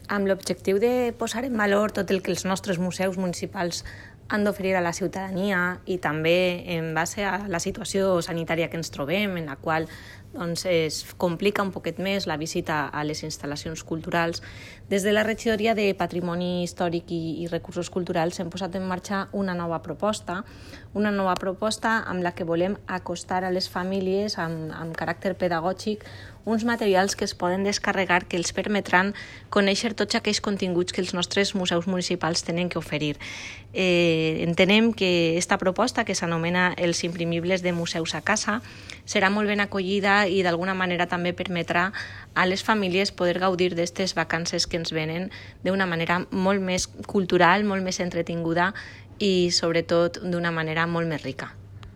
amb l'objectiu de posar en valor tot el que els nostres museus municipals han d'oferir a la ciutadania i també en base a la situació sanitària que ens trobem, en la qual es complica un poquet més la visita a les instal·lacions culturals, des de la Regidoria de Patrimoni Històric i Recursos Culturals hem posat en marxa una nova proposta amb la que volem acostar a les famílies amb caràcter pedagògic uns materials que es poden descarregar que els permetran conèixer tots aquells continguts que els nostres museus municipals tenen que oferir. Entenem que aquesta proposta, que s'anomena Els imprimibles de museus a casa, serà molt ben acollida i d'alguna manera també permetrà a les famílies poder gaudir d'aquestes vacances que ens venen d'una manera molt més cultural, molt més entretinguda i sobretot d'una manera molt més rica.